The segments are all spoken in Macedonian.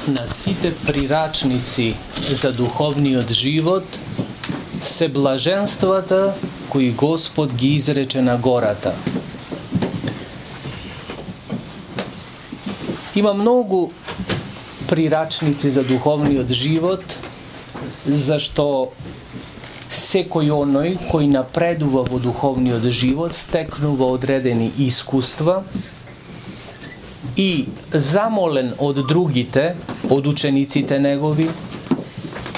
на сите прирачници за духовниот живот се блаженствата кои Господ ги изрече на гората. Има многу прирачници за духовниот живот, зашто секој оној кој напредува во духовниот живот стекнува одредени искуства и замолен од другите, од учениците негови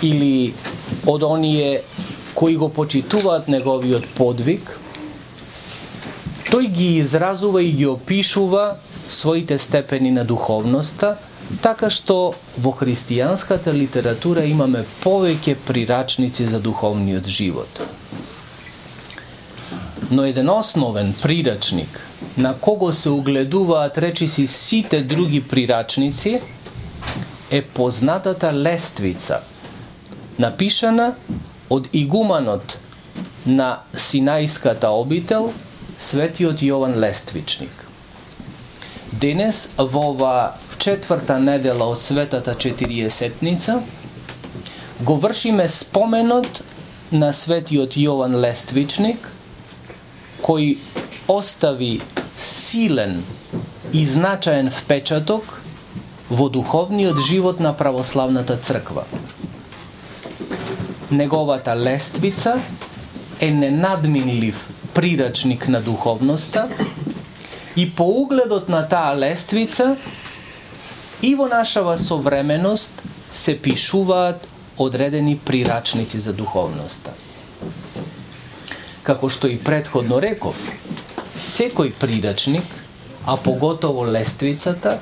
или од оние кои го почитуваат неговиот подвиг, тој ги изразува и ги опишува своите степени на духовноста, така што во христијанската литература имаме повеќе прирачници за духовниот живот. Но еден основен прирачник на кого се угледуваат речиси сите други прирачници е познатата лествица, напишана од игуманот на Синајската обител, светиот Јован Лествичник. Денес, во ова четврта недела од Светата Четириесетница, го вршиме споменот на светиот Јован Лествичник, кој остави силен и значаен впечаток во духовниот живот на православната црква. Неговата лествица е ненадминлив прирачник на духовноста и по угледот на таа лествица и во нашава современост се пишуваат одредени прирачници за духовноста. Како што и претходно реков, секој прирачник, а поготово лествицата,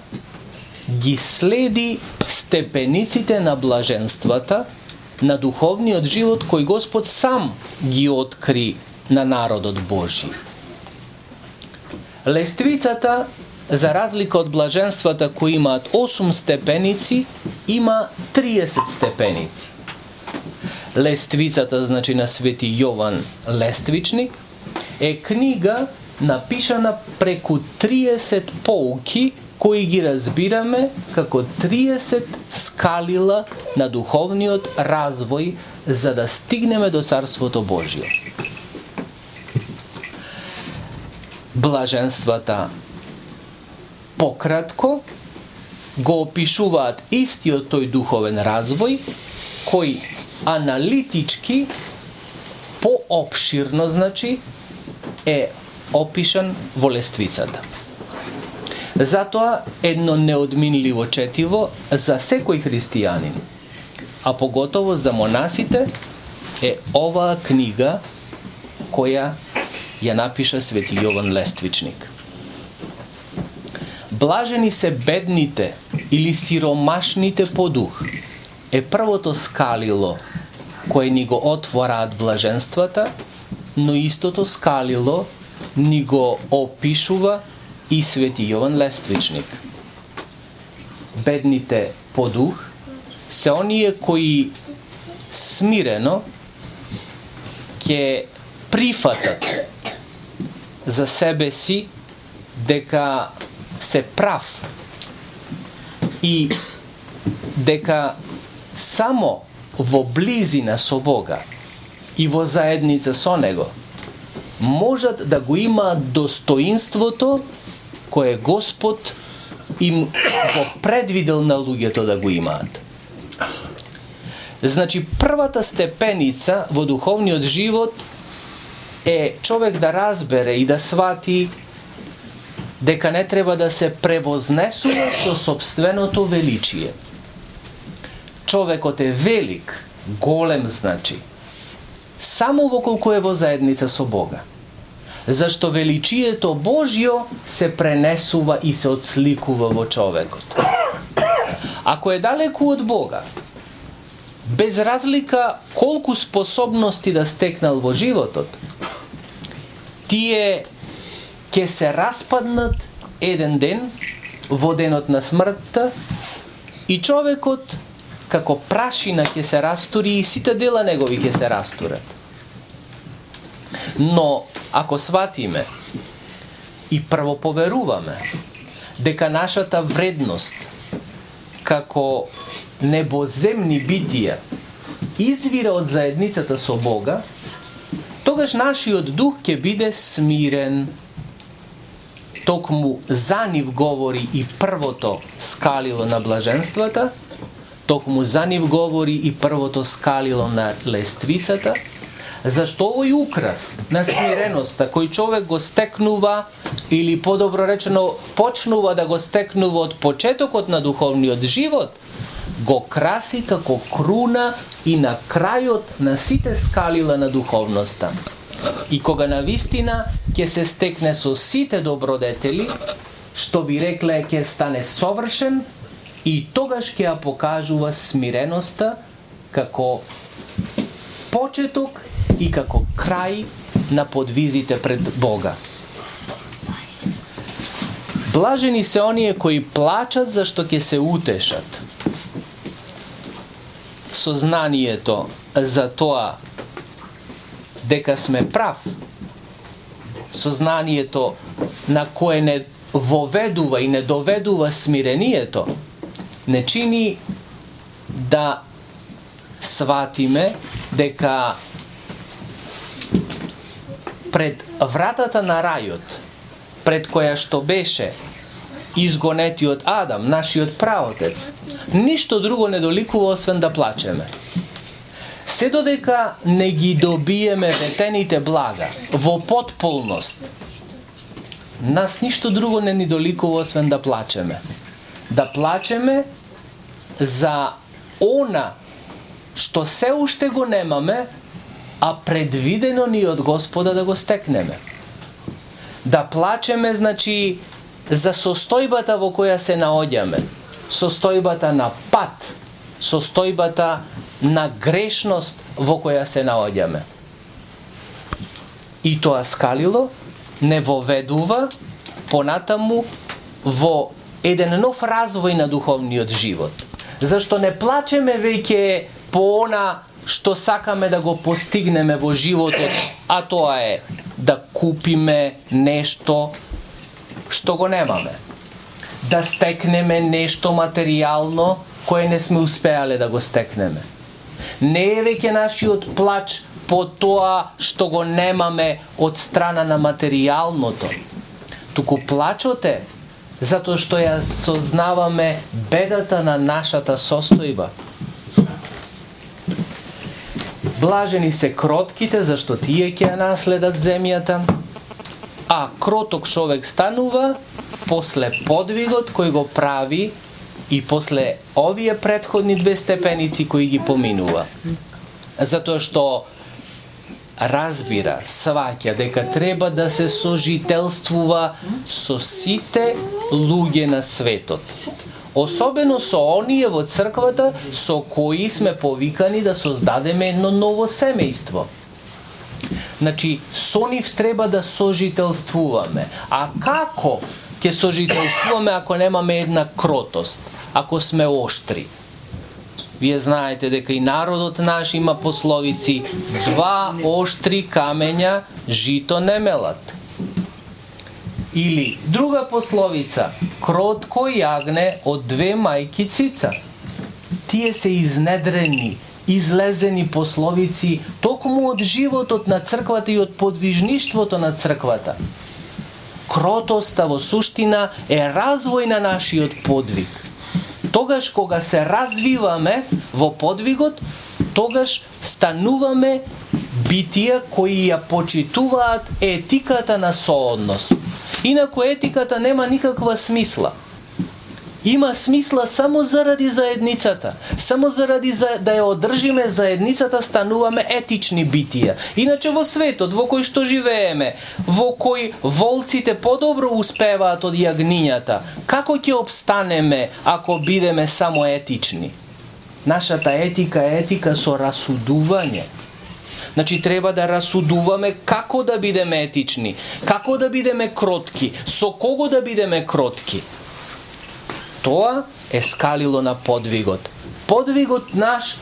ги следи степениците на блаженствата на духовниот живот кој Господ сам ги откри на народот Божји. Лествицата, за разлика од блаженствата кои имаат 8 степеници, има 30 степеници. Лествицата, значи на свети Јован Лествичник, е книга напишана преку 30 поуки кои ги разбираме како 30 скалила на духовниот развој за да стигнеме до Царството Божјо. Блаженствата пократко го опишуваат истиот тој духовен развој кој аналитички поопширно, значи, е опишан во лествицата. Затоа едно неодминливо четиво за секој христијанин, а поготово за монасите, е оваа книга која ја напиша свети Јован Лествичник. Блажени се бедните или сиромашните по дух е првото скалило кое ни го отвораат блаженствата, но истото скалило ни го опишува и свети Јован Лествичник. Бедните по дух се оние кои смирено ќе прифатат за себе си дека се прав и дека само во близина со Бога и во заедница со Него можат да го имаат достоинството кое Господ им го предвидел на луѓето да го имаат. Значи, првата степеница во духовниот живот е човек да разбере и да свати дека не треба да се превознесува со собственото величие. Човекот е велик, голем, значи, само воколку е во заедница со Бога. Зашто величието Божјо се пренесува и се отсликува во човекот. Ако е далеку од Бога, без разлика колку способности да стекнал во животот, тие ќе се распаднат еден ден во денот на смртта и човекот како прашина ќе се растури и сите дела негови ќе се растурат. Но ако сватиме и прво поверуваме дека нашата вредност како небоземни битија извира од заедницата со Бога, тогаш нашиот дух ќе биде смирен. Токму за нив говори и првото скалило на блаженствата, токму за нив говори и првото скалило на лествицата, зашто овој украс на смиреноста кој човек го стекнува, или подобро речено почнува да го стекнува од почетокот на духовниот живот, го краси како круна и на крајот на сите скалила на духовноста. И кога навистина ќе се стекне со сите добродетели, што би рекле ќе стане совршен, и тогаш ќе ја покажува смиреноста како почеток и како крај на подвизите пред Бога. Блажени се оние кои плачат зашто ќе се утешат. Сознанието за тоа дека сме прав, сознанието на кое не воведува и не доведува смирението, не чини да сватиме дека пред вратата на рајот, пред која што беше изгонетиот Адам, нашиот праотец, ништо друго не доликува освен да плачеме. Се додека не ги добиеме ветените блага во потполност, нас ништо друго не ни доликува освен да плачеме. Да плачеме за она што се уште го немаме, а предвидено ни од Господа да го стекнеме. Да плачеме, значи, за состојбата во која се наоѓаме, состојбата на пат, состојбата на грешност во која се наоѓаме. И тоа скалило не воведува понатаму во еден нов развој на духовниот живот. Зашто не плачеме веќе по она што сакаме да го постигнеме во животот, а тоа е да купиме нешто што го немаме, да стекнеме нешто материјално кое не сме успеале да го стекнеме. Не е веќе нашиот плач по тоа што го немаме од страна на материјалното, туку плачот е затоа што ја сознаваме бедата на нашата состојба. Блажени се кротките, зашто тие ќе ја наследат земјата, а кроток човек станува после подвигот кој го прави и после овие претходни две степеници кои ги поминува. Затоа што разбира, сваќа дека треба да се сожителствува со сите луѓе на светот. Особено со оние во црквата со кои сме повикани да создадеме едно ново семејство. Значи, со нив треба да сожителствуваме. А како ќе сожителствуваме ако немаме една кротост, ако сме оштри? Вие знаете дека и народот наш има пословици: два оштри камења жито не мелат. Или друга пословица: кротко јагне од две мајки цица. Тие се изнедрени, излезени пословици токму од животот на црквата и од подвижништвото на црквата. Кротоста во суштина е развој на нашиот подвиг. Тогаш кога се развиваме во подвигот, тогаш стануваме битија кои ја почитуваат етиката на сооднос. Инаку етиката нема никаква смисла. Има смисла само заради заедницата. Само заради да ја одржиме заедницата стануваме етични битија. Иначе во светот во кој што живееме, во кој волците подобро успеваат од јагнињата, како ќе обстанеме ако бидеме само етични? Нашата етика е етика со расудување. Значи треба да расудуваме како да бидеме етични, како да бидеме кротки, со кого да бидеме кротки. Тоа е скалило на подвигот. Подвигот наш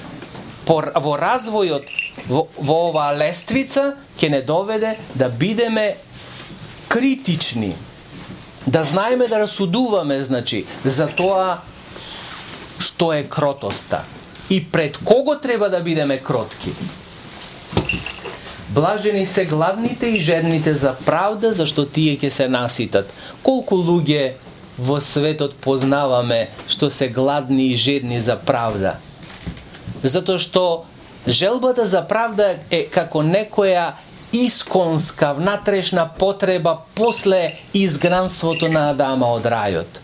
во развојот во оваа лествица ќе не доведе да бидеме критични, да знаеме да расудуваме, значи, за тоа што е кротоста и пред кого треба да бидеме кротки. Блажени се гладните и жедните за правда, зашто тие ќе се наситат. Колку луѓе во светот познаваме што се гладни и жедни за правда? Затоа што желбата за правда е како некоја исконска, внатрешна потреба после изгнанството на Адама од рајот.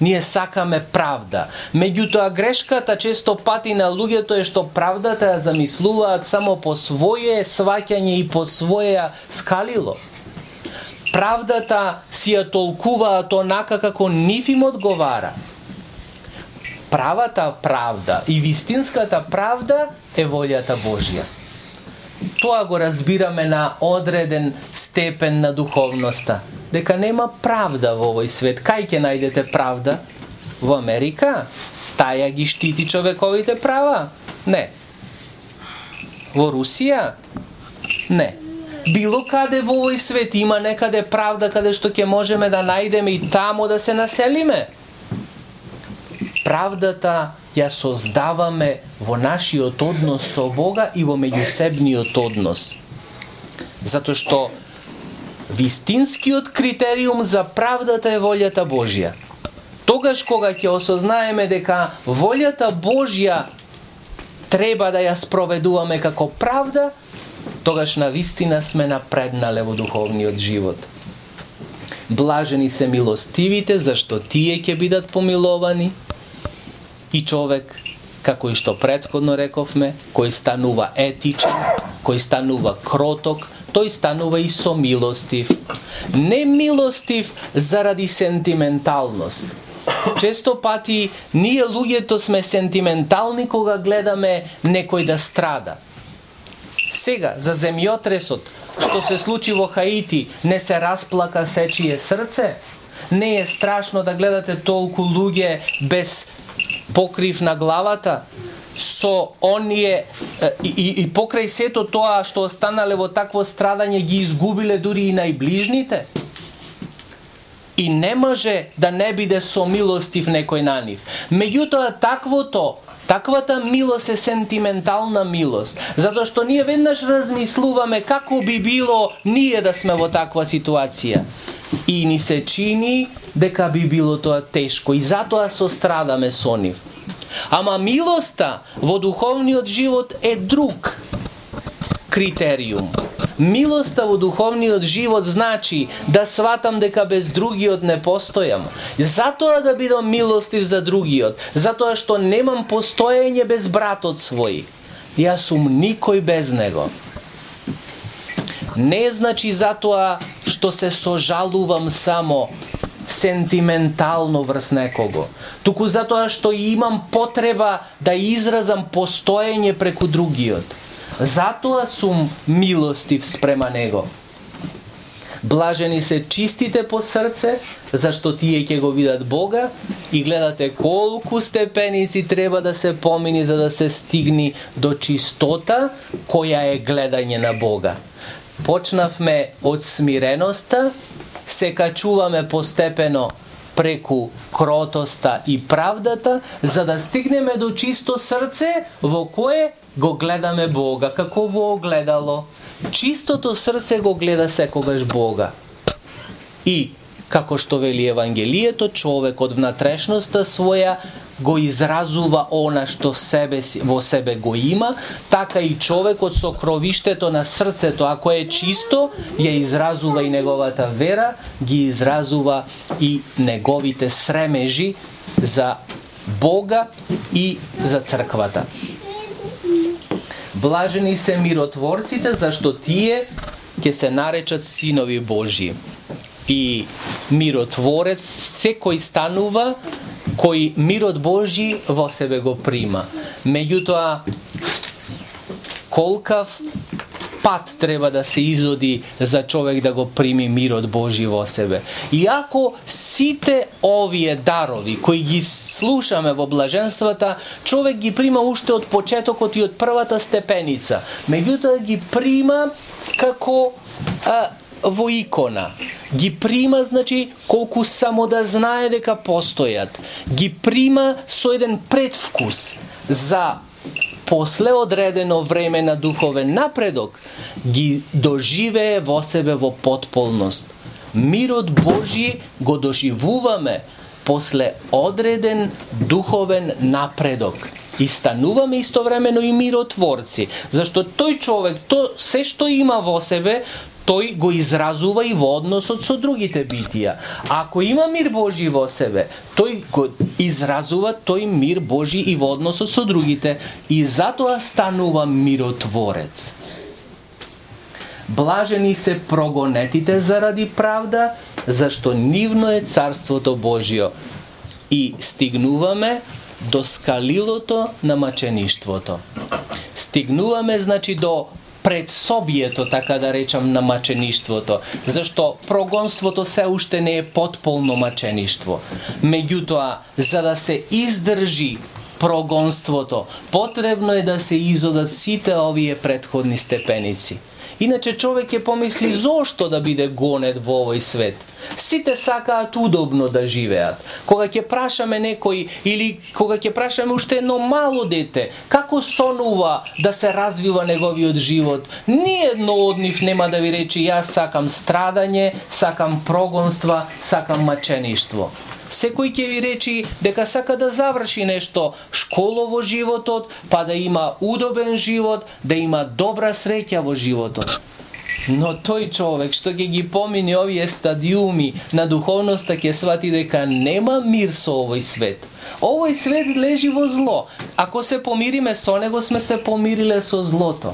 Ние сакаме правда. Меѓутоа грешката често пати на луѓето е што правдата ја замислуваат само по своје сваќање и по своја скалило. Правдата си ја толкуваат онака како нив им одговара. Правата правда и вистинската правда е волјата Божја. Тоа го разбираме на одреден степен на духовноста. Дека нема правда во овој свет. Кај ќе најдете правда? Во Америка? Таја ги штити човековите права? Не. Во Русија? Не. Било каде во овој свет има некаде правда каде што ќе можеме да најдеме и таму да се населиме? Правдата ја создаваме во нашиот однос со Бога и во меѓусебниот однос. Затоа што вистинскиот критериум за правдата е волјата Божја. Тогаш кога ќе осознаеме дека волјата Божја треба да ја спроведуваме како правда, тогаш навистина сме напреднале во духовниот живот. Блажени се милостивите, зашто тие ќе бидат помиловани. И човек, како и што претходно рековме, кој станува етичен, кој станува кроток, тој станува и сомилостив. Не милостив заради сентименталност. Често пати ние луѓето сме сентиментални кога гледаме некој да страда. Сега, за земјотресот, што се случи во Хаити, не се расплака сечие срце? Не е страшно да гледате толку луѓе без покрив на главата, со оние и покрај сето тоа што останале во такво страдање ги изгубиле дури и најближните? И не може да не биде сомилостив некој на нив. Меѓутоа таквата милост е сентиментална милост, затоа што ние веднаш размислуваме како би било ние да сме во таква ситуација. И ни се чини дека би било тоа тешко и затоа сострадаме со нив. Ама милоста во духовниот живот е друг критериум. Милоста во духовниот живот значи да сватам дека без другиот не постојам. Затоа да бидам милостив за другиот, затоа што немам постоење без братот свој. Јас сум никој без него. Не значи затоа што се сожалувам само сентиментално врз некого, туку затоа што имам потреба да изразам постоење преку другиот. Затоа сум милостив спрема него. Блажени се чистите по срце, зашто тие ќе го видат Бога, и гледате колку степеници треба да се помини за да се стигни до чистота која е гледање на Бога. Почнавме од смиреноста, се качуваме постепено преку кротоста и правдата, за да стигнеме до чисто срце во кое го гледаме Бога, како во огледало. Чистото срце го гледа секогаш Бога. И, како што вели Евангелието, човек од внатрешноста своја го изразува она што во себе го има, така и човекот со кровиштето на срцето, ако е чисто, ја изразува и неговата вера, ги изразува и неговите сремежи за Бога и за црквата. Блажени се миротворците, зашто тие ќе се наречат синови Божји. И миротворец секој станува кој мирот Божји во себе го прима. Меѓутоа, колкав пат треба да се изоди за човек да го прими мирот Божји во себе. Иако сите овие дарови кои ги слушаме во блаженствата, човек ги прима уште од почетокот и од првата степеница. Меѓутоа ги прима како во икона. Ги прима, значи, колку само да знае дека постојат. Ги прима со еден предвкус за после одредено време на духовен напредок, ги доживее во себе во потполност. Мирот Божи го доживуваме после одреден духовен напредок. И стануваме истовремено и миротворци, зашто тој човек, се што има во себе, тој го изразува и во односот со другите битија. Ако има мир Божи во себе, тој го изразува тој мир Божи и во односот со другите, и затоа станува миротворец. Блажени се прогонетите заради правда, зашто нивно е царството Божио. И стигнуваме до скалилото на мачеништвото. Стигнуваме, значи, до предсобието, така да речам, на мачеништвото, зашто прогонството се уште не е потполно мачеништво. Меѓутоа, за да се издржи прогонството, потребно е да се изодат сите овие претходни степеници. Иначе човек ќе помисли зошто да биде гонет во овој свет. Сите сакаат удобно да живеат. Кога ќе прашаме некој или кога ќе прашаме уште едно мало дете, како сонува да се развива неговиот живот, ни едно од нив нема да ви рече јас сакам страдање, сакам прогонства, сакам мачеништво. Секој ќе ви речи дека сака да заврши нешто школо во животот, па да има удобен живот, да има добра среќа во животот. Но тој човек што ќе ги помине овие стадиуми на духовноста ќе свати дека нема мир со овој свет. Овој свет лежи во зло. Ако се помириме со него, сме се помириле со злото.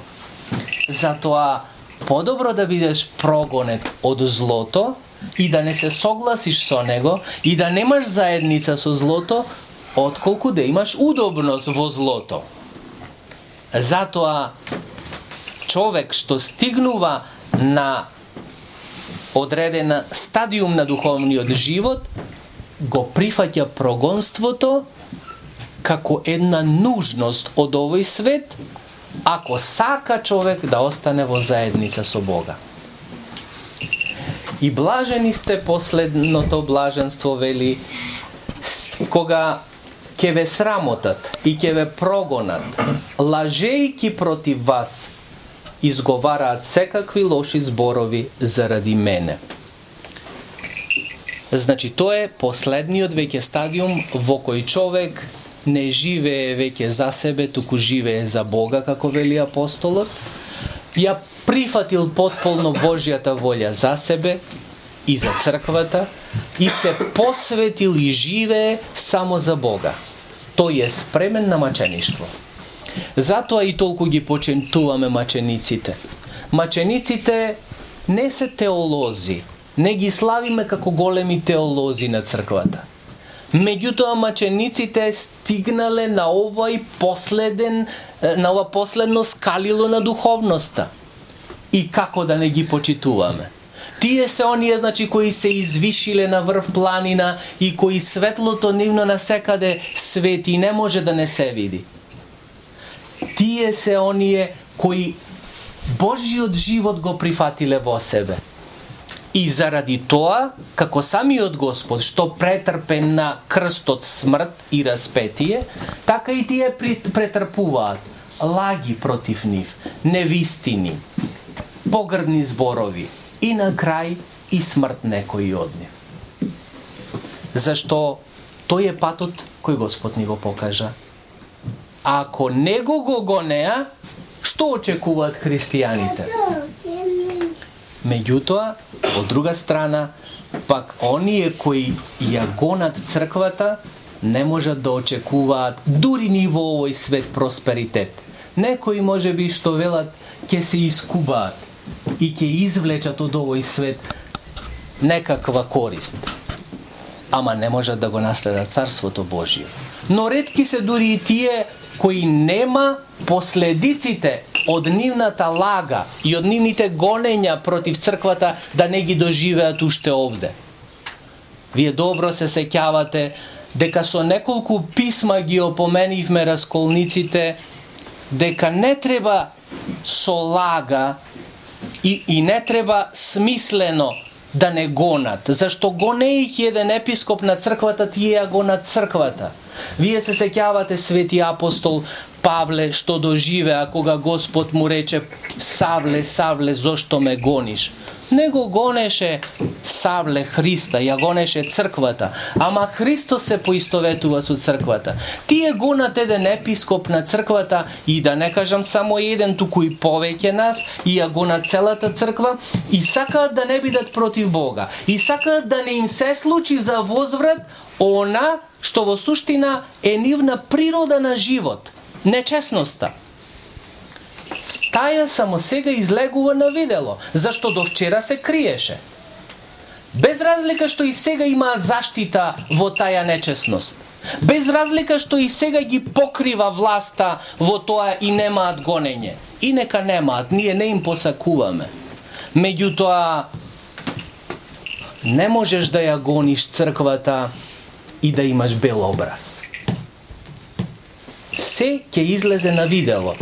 Затоа подобро да бидеш прогонет од злото и да не се согласиш со него и да немаш заедница со злото, отколку да имаш удобност во злото. Затоа човек што стигнува на одредена стадиум на духовниот живот, го прифаќа прогонството како една нужност од овој свет, ако сака човек да остане во заедница со Бога. И блажени сте, последното блаженство вели, кога ќе ве срамотат и ќе ве прогонат, лажејки против вас, изговараат секакви лоши зборови заради мене. Значи, тоа е последниот веќе стадиум во кој човек не живее веќе за себе, туку живее за Бога, како вели апостолот. Ја прифатил потполно Божјата волја за себе и за црквата и се посветил и живее само за Бога. Тој е спремен на мачеништво. Затоа и толку ги почитуваме мачениците. Мачениците не се теолози, не ги славиме како големи теолози на црквата. Меѓутоа мачениците стигнале на ова последно скалило на духовноста. И како да не ги почитуваме? Тие се оние, значи, кои се извишиле на врв планина и кои светлото нивно насекаде свети, не може да не се види. Тие се оние кои Божиот живот го прифатиле во себе. И заради тоа, како самиот Господ, што претрпе на крстот смрт и распетие, така и тие претрпуваат лаги против нив, невистини, погрдни зборови и на крај и смрт некои од нив. Зашто тој е патот кој Господ ни го покажа. А ако него го гонеа, што очекуваат христијаните? Меѓутоа, од друга страна, пак оние кои ја гонат црквата, не можат да очекуваат дури ни во овој свет просперитет. Некои може би што велат ќе се искубаат и ќе извлечат од овој свет некаква корист. Ама не можат да го наследат Царството Божие. Но ретки се дури и тие кои нема последиците од нивната лага и од нивните гонења против црквата да не ги доживеат уште овде. Вие добро се сеќавате дека со неколку писма ги опоменивме расколниците дека не треба со лага и не треба смислено да не гонат. Зашто гонејќи еден епископ на црквата, тие ја гонат црквата. Вие се сеќавате свети апостол Павле што доживеа кога Господ му рече: Савле, Савле, зошто ме гониш? Не го гонеше Савле Христа, ја гонеше црквата. Ама Христос се поистоветува со црквата. Тие гонат еден епископ на црквата и да не кажам само еден, туку и повеќе нас, и ја гонат целата црква и сакаат да не бидат против Бога. И сакаат да не им се случи за возврат она што во суштина е нивна природа на живот. Нечесноста. Таја само сега излегува на видело, зашто до вчера се криеше. Без разлика што и сега има заштита во таја нечесност. Без разлика што и сега ги покрива власта во тоа и немаат гонење. И нека немаат, ние не им посакуваме. Меѓутоа, не можеш да ја гониш црквата и да имаш бел образ. Се ќе излезе на видело.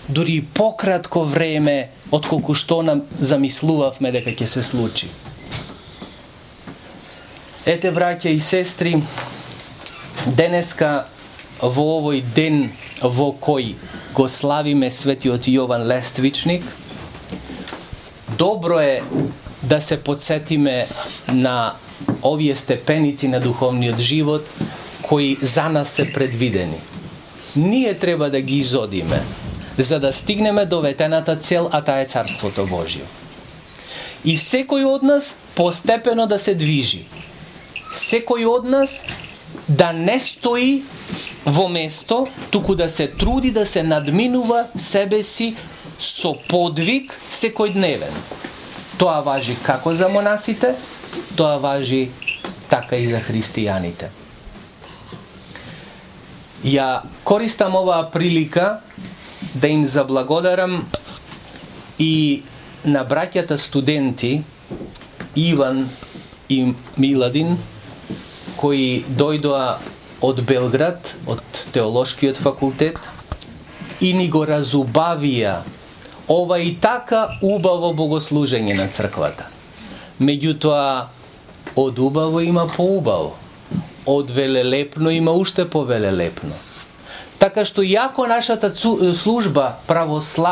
Дури пократко време отколку што нам замислувавме дека ќе се случи. Ете, браќа и сестри, денеска во овој ден во кој го славиме светиот Јован Лествичник, добро е да се подсетиме на овие степеници на духовниот живот кои за нас се предвидени. Ние треба да ги изодиме, за да стигнеме до ветената цел, а таа е Царството Божие. И секој од нас постепено да се движи. Секој од нас да не стои во место, туку да се труди да се надминува себе си со подвиг секојдневен. Тоа важи како за монасите, тоа важи така и за христијаните. Ја користам оваа прилика да им заблагодарам и на браќата студенти Иван и Миладин, кои дојдоа од Белград, од Теолошкиот факултет, и ни го разубавија ова и така убаво богослужење на црквата. Меѓутоа, од убаво има поубаво, од велелепно има уште повелелепно. Така што иако нашата служба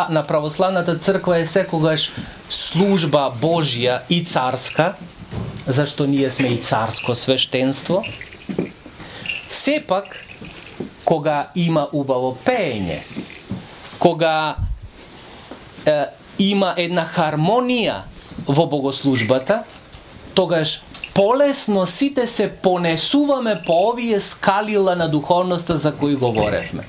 на православната црква е секогаш служба Божја и царска, зашто ние сме и царско свештенство, сепак, кога има убаво пеење, кога има една хармонија во богослужбата, тогаш полесно сите се понесуваме по овие скалила на духовноста за кои говоревме.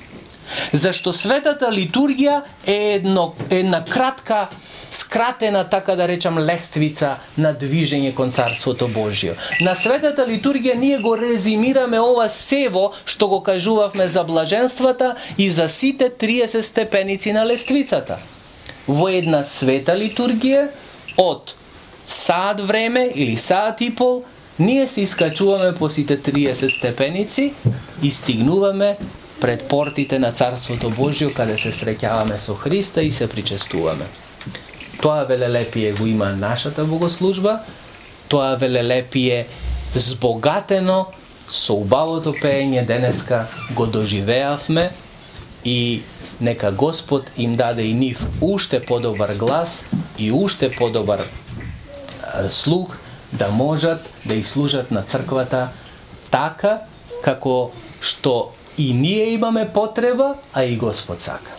Зашто светата литургија е една кратка, скратена, така да речам, лествица на движење кон Царството Божие. На светата литургија ние го резимираме ова сево што го кажувавме за блаженствата и за сите 30 степеници на лествицата. Во една света литургија од саат време или саат и пол, ние се искачуваме по сите 30 степеници и стигнуваме пред портите на Царството Божие, каде се среќаваме со Христа и се причестуваме. Тоа велелепие го има нашата богослужба, тоа велелепие збогатено со убавото пеење денеска го доживеавме и нека Господ им даде и нив уште подобар глас и уште подобар слух, да можат да и служат на црквата така како што и ние имаме потреба, а и Господ сака.